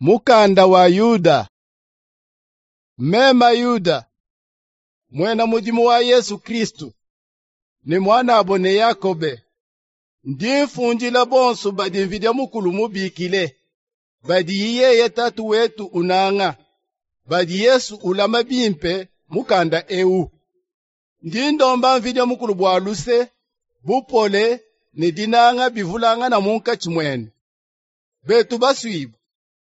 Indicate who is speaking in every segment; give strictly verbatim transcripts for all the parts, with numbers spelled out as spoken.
Speaker 1: Mukanda wa Yuda. Mema Yuda, muena mudimu wa Yesu Kristu, ne muanabo ne Yakobe, ndi mfundila bonso badi Mvidi Mukulu mubikile, badi yeye Tatu wetu unanga, badi Yesu ulama bimpe mukanda eu. Ndi ndomba Mvidi Mukulu bua luse, bupole ne dinanga bivulangana munkatshi muenu. Betu basuibue,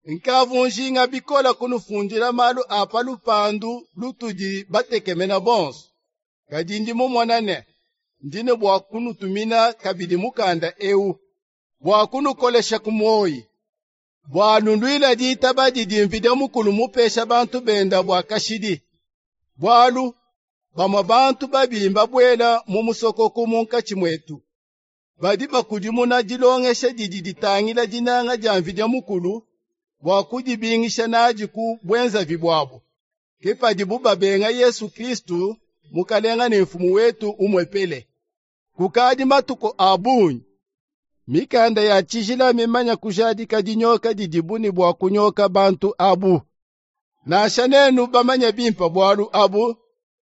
Speaker 1: nkavu njinga bikola kunufundila malu a pa lupandu lutudi batekemena bonso. Kadi ndi mumona ne ndi ne bua kunutumina kabidi mukanda eu bua kunukolesha ku muoyi, bua nuluila ditaba didi Mvidi Mukulu mupesha bantu benda bua kashidi. Bualu bamue bantu babi mbabuela mu musokoko munkatshi muetu, badi bakudimuna dilongesha didi ditangila dinanga dia Mvidi Mukulu bua kudibingisha nadi ku buenzavi buabu. Ke padibu babenga Yesu Kristu, Mukalenga ne Mfumu wetu umuepele. Kukadi matuku a bungi, mikanda ya tshijila mimanya kujadika dinyoka didibu ne bua kunyoka bantu abu. Nansha nenu bamanye bimpe bualu abu,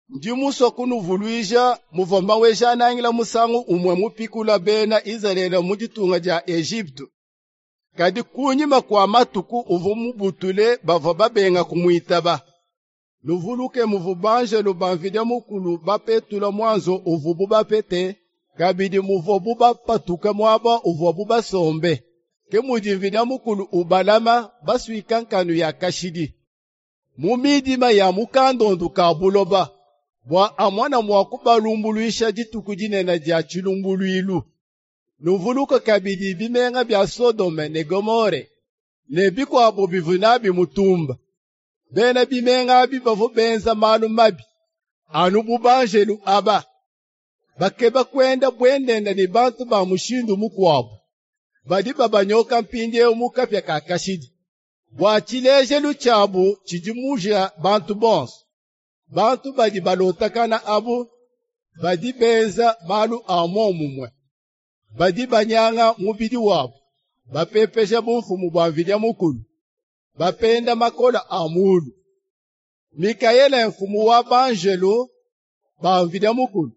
Speaker 1: ndi musue kunuvuluija muvua Maweja-Nangila musangu umue mupikula bena Izalele mu ditunga dia Ejipitu. Kadi kunyima kua matuku uvua mubutule bavua babenga kumuitaba. Nuvuluke muvua banjelu ba Mvidi Mukulu bapetula muanzu uvuabu bapete, kabidi muvuabu bapatuka muaba uvuabu basombe. Ke mudi Mvidi Mukulu ubalama basuika nkanu ya kashidi mu midima ya mukandondu ka buloba, bua amona mua kubalumbuluisha dituku dinene dia tshilumbuluilu. Nuvuluke kabidi bimenga bia Sodome ne Gomore ne bikuabo bivua nabi mutumba. Bena bimenga abi bavua benza malu mabi anu bu banjelu aba, bakeba kuenda buendenda ne bantu ba mushindu mukuabu, badi babanyoka mpindieu mu kapia ka kashidi, bua tshilejelu tshiabu tshidimuja bantu bonso. Bantu badi balotakana abu badi benza malu a muomumue, badi banyanga mubidi wabu, bapepesha bumfumu bua Mvidi Mukulu, bapenda makola a mulu. Mikaele mfumu wa banjelu ba Mvidi Mukulu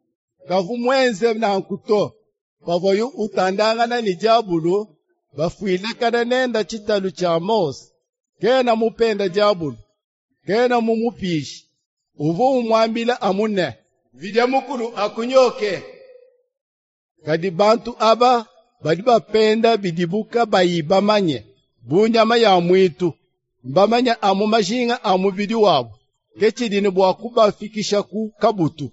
Speaker 1: kavu muenze nanku to, pavuaye utandangana ne diabulu, bafuilakana nenda tshitalu tshia Mose. Kena mupenda diabulu, kena mumupishe, uvua umuambila amu ne, Mvidi Mukulu akunyoke. Kadi bantu aba badi bapenda bidibu kabayi bamanye, bu nyama ya muitu, mbamanye amu majinga a mubidi wabu, ke tshidi ne bua kubafikisha ku kabutu.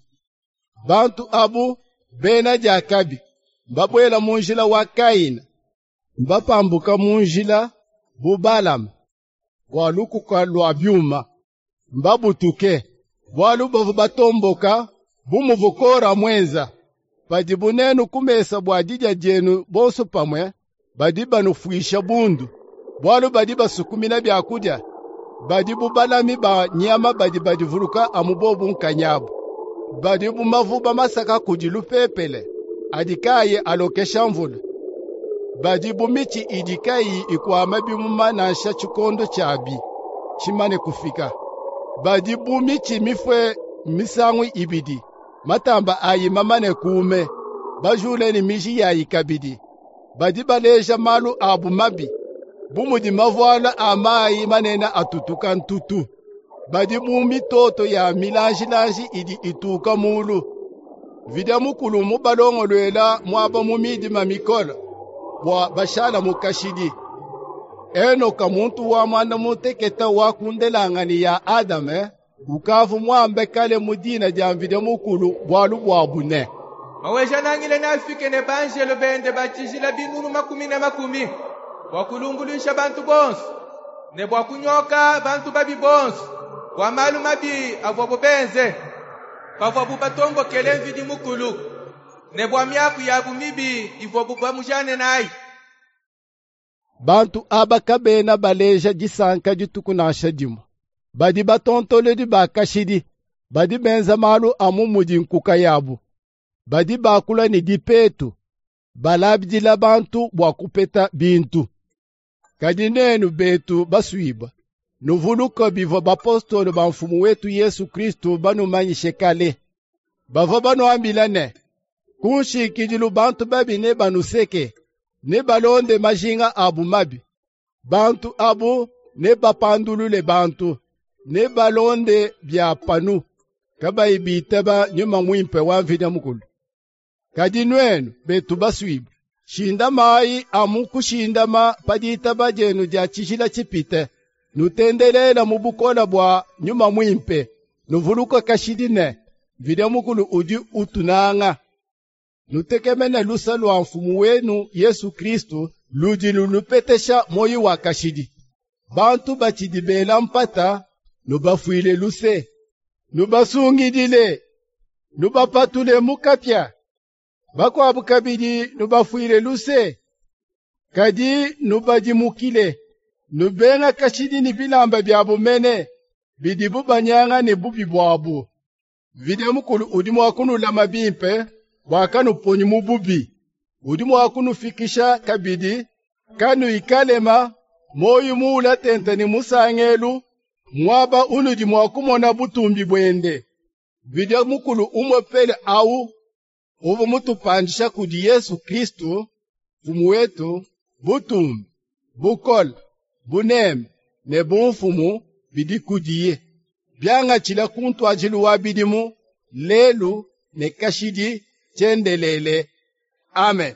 Speaker 1: Bantu abu bena diakabi, mbabuela mu njila wa Kaina, mbapambuka mu njila bu Balama, bua lukuka lua biuma, mbabutuke, bualu bavua batomboka bu muvua Kora muenza. Padibu nenu ku mesa bua didia dienu bonso pamue, badi banufuisha bundu, bualu badi basukumina biakudia, badi bu balami ba nyama badi badivuluka amu bobu nkanyabu, badi bu mavuba masaka kudi lupepele adi kayi alokesha mvula, badi bu mitshi idi kayi ikuama bimuma nansha tshikondo tshiabi tshimane kufika, badi bu mitshi mifue misangu ibidi, matamba ayi mamane kuume, bajule ne miji yayi kabidi. Badi baleja malu abu mabi, bu mudi mavuala a mayi manene atutuka ntutu. Badi bu mitoto ya milanjilanji idi ituka mulu. Mvidi Mukulu mubalongoluela muaba mu midima mikole, bua bashala mu kashidi. Enoka muntu wa muanda mutekete wa ku ndelanganyi ya Adame, ukavu muambe kale mu dina dia Mvidi Mukulu bualu buabu ne,
Speaker 2: Maweja-Nangila neafike ne banjelu bende ba tshijila binunu makumi ne makumi bua kulumbuluisha bantu bonso, ne bua kunyoka bantu babi bonso bua malu mabi avuabu benze pavuabu batombokele Mvidi Mukulu, ne bua miaku yabu mibi ivuabu bamujane nayi.
Speaker 1: Bantu aba kabena baleja disanka dituku nansha dimue. Badi batontolodi ba kashidi, badi benza malu amu mudi nkuka yabu, badi bakula ne dipetu, balabidila bantu bua kupeta bintu. Kadi nenu betu basuibue, nuvuluke bivua bapostolo ba Mfumu wetu Yesu Kristu banumanyishe kale. Bavua banuambila ne, ku nshikidilu bantu babi nebanuseke, nebalonde majinga abu mabi. Bantu abu nebapandulule bantu, nebalonde bia panu, kabayi bitaba Nyuma Muimpe wa Mvidi Mukulu. Kadi nuenu betu basuibue, shindamayi amu kushindama pa ditaba dienu dia tshijila tshipite, nutendelela mu bukole bua Nyuma Muimpe, nuvuluke kashidi ne, Mvidi Mukulu udi utunanga. Nutekemene luse lua Mfumu wenu Yesu Kristu ludi lunupetesha muoyo wa kashidi. Bantu batshidi bela mpata, nubafuile luse, nubasungidile, nubapatule mu kapia. Bakuabu kabidi nubafuile luse, kadi nubadimukile, nubenga kashidi ne bilamba biabu mene bidibu banyanga ne bubi buabu. Mvidi Mukulu udi mua kunulama bimpe bua kanuponyi mu bubi. Udi mua kunufikisha kabidi kanuyi kalema, muoyo muula tente ne musangelu, muaba unudi mua kumona butumbi buende. Mvidi Mukulu umuepele awu uvua mutupandisha kudi Yesu Kristu Mfumu wetu, butumbi, bukole, buneme ne bumfumu bidi kudiye, biangatshila ku ntuadijilu wa bidimu, lelu ne kashidi tshiendelele. Amen.